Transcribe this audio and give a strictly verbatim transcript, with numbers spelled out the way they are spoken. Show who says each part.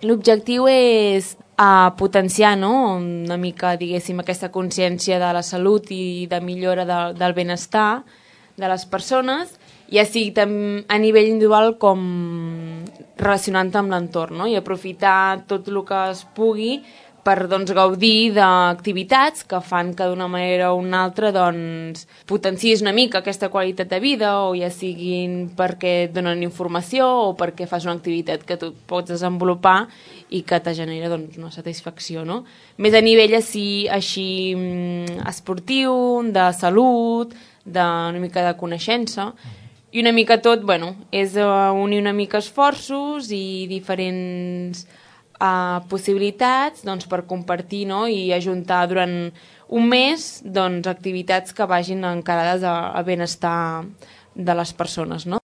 Speaker 1: L'objectiu és a potenciar, no?, una mica, diguéssim, aquesta consciència de la salut i de millora de, del benestar de les persones, ja sigui a nivell individual com relacionant amb l'entorn, no?, i aprofitar tot el que es pugui per, doncs, gaudir d'activitats que fan que d'una manera o una altra, doncs, potencies una mica aquesta qualitat de vida, o ja siguin perquè et donen informació o perquè fas una activitat que tu pots desenvolupar i que te genera, doncs, una satisfacció, no? Més a nivell així, així esportiu, de salut, d'una mica de coneixença, i una mica tot, bueno, és unir una mica esforços i diferents Uh, possibilitats, doncs, per compartir, no?, i ajuntar durant un mes, doncs, activitats que vagin encarades al benestar de les persones, no?